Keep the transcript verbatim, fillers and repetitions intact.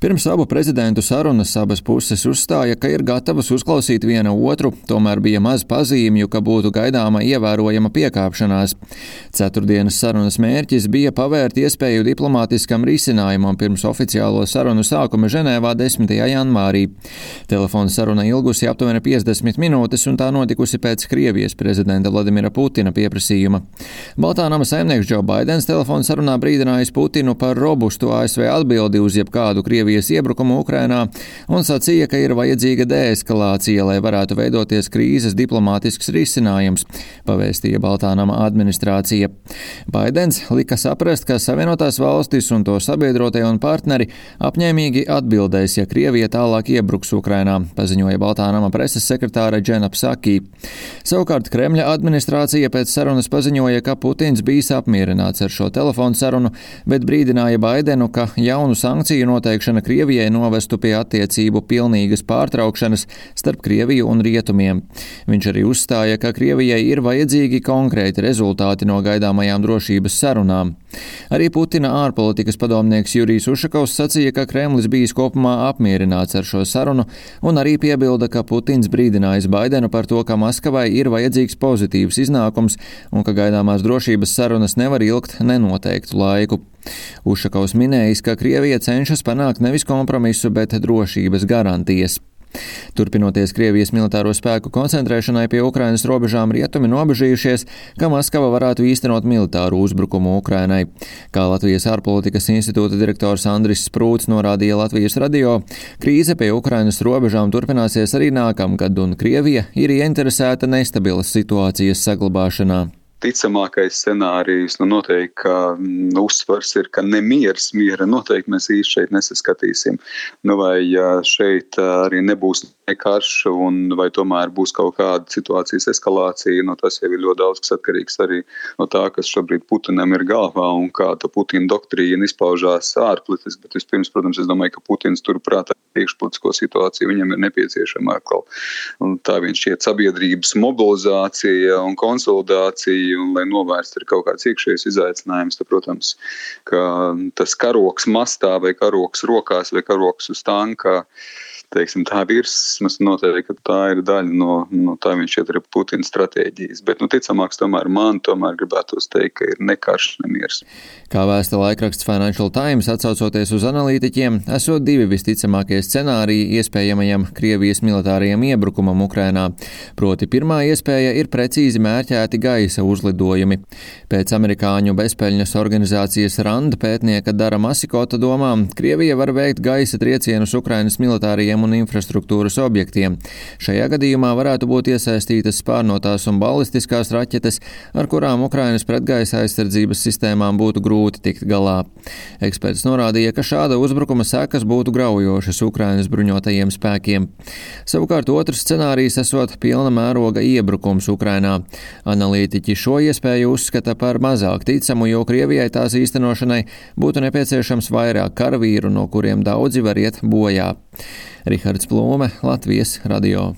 Pirms abu prezidentu sarunas abas puses uzstāja, ka ir gatavas uzklausīt viena otru, tomēr bija maz pazīmju, ka būtu gaidāma ievērojama piekāpšanās. Ceturtdienas sarunas mērķis bija pavērt iespēju diplomātiskam risinājumam pirms oficiālo sarunu sākuma Ženēvā desmitajā janvārī. Telefona saruna ilgusi aptuveni piecdesmit minūtes un tā notikusi pēc Krievijas prezidenta Vladimira Putina pieprasījuma. Baltā nama saimnieks Džo Baidens telefona sarunā brīdinājis Putinu par robustu A S V atbildi uz jebkādu Krievijas iebrukumu Ukrainā un sacīja, ka ir vajadzīga deeskalācija, lai varētu veidoties krīzes diplomātisks risinājums, pavēstīja Baltā nama administrācija. Baidens lika saprast, ka Savienotās valstis un to sabiedrotie un partneri apņēmīgi atbildēs, ja Krievija tālāk iebruks Ukrainā, paziņoja Baltā nama preses sekretāre Džena Psaki. Savukārt Kremļa administrācija pēc sarunas paziņoja, ka Putins bijis apmierināts ar šo telefonu sarunu, bet brīdināja Baidenu, ka jaunu sankciju noteikšana Krievijai novestu pie attiecību pilnīgas pārtraukšanas starp Krieviju un Rietumiem. Viņš arī uzstāja, ka Krievijai ir vajadzīgi konkrēti rezultāti no gaidāmajām drošības sarunām. Arī Putina ārpolitikas padomnieks Jurijs Ušakovs sacīja, ka Kremlis bijis kopumā apmierināts ar šo sarunu un arī piebilda, ka Putins brīdinājis Baidenu par to, ka Maskavai ir vajadzīgs pozitīvs iznākums un ka gaidāmās drošības sarunas nevar ilgt nenoteiktu laiku. Ušakovs minējis, ka Krievija cenšas panākt nevis kompromisu, bet drošības garantijas. Turpinoties Krievijas militāro spēku koncentrēšanai pie Ukrainas robežām, rietumi nobežījušies, ka Maskava varētu īstenot militāru uzbrukumu Ukrainai. Kā Latvijas ārpolitikas institūta direktors Andris Sprūts norādīja Latvijas radio, krīze pie Ukrainas robežām turpināsies arī nākamgad, un Krievija ir ieinteresēta nestabilas situācijas saglabāšanā. Ticamākais scenārijs, nu noteikti, ka nu, uzsvars ir, ka nemiers, miera noteikti mēs īsti šeit nesaskatīsim. Nu, vai šeit arī nebūs karš un vai tomēr būs kaut kāda situācijas eskalācija, nu, tas jau ir ļoti daudz, kas atkarīgs arī no tā, kas šobrīd Putinam ir galvā un kā tā Putina doktrīna izpaužās ārpolitiski, bet vispirms, protams, es domāju, ka Putins turprāt iekšpolitisko situāciju viņam ir nepieciešama atkal. Un tā viņš šķiet sabiedrības mobilizācija un konsolidācija, un lai novērst ir kaut kāds iekšējais izaicinājums, tad, protams, ka tas karoks mastā vai karoks rokās vai karoks uz tanka, teiksim, tā virsmas noteikti, ka tā ir daļa no, no tā viņš iet arī Putina stratēģijas. Bet, nu, ticamāks tomēr man, tomēr gribētos teikt, ka ir ne karš, ne miers. Kā vēsta laikraksts Financial Times, atsaucoties uz analītiķiem, esot divi visticamākie scenāriji iespējamajam Krievijas militārajam iebrukumam Ukrainā. Proti pirmā iespēja ir precīzi mērķēti gaisa uzlidojumi. Pēc amerikāņu bezpeļņas organizācijas RAND pētnieka Dara Masikota domām, Krievija var veikt gaisa triecienus Ukrainas militārajiem un infrastruktūras objektiem. Šajā gadījumā varētu būt iesaistītas spārnotās un balistiskās raķetes, ar kurām Ukrainas pretgaisa aizsardzības sistēmām būtu grūti tikt galā. Eksperts norādīja, ka šāda uzbrukuma sekas būtu graujošas Ukrainas bruņotajiem spēkiem. Savukārt otrs scenārijs esot pilna mēroga iebrukums Ukrainā. Analītiķi šo iespēju uzskata par mazāk ticamu, jo Krievijai tās īstenošanai būtu nepieciešams vairāk karavīru, no kuriem daudzi var iet bojā. Rihards Plūme, Latvijas radio.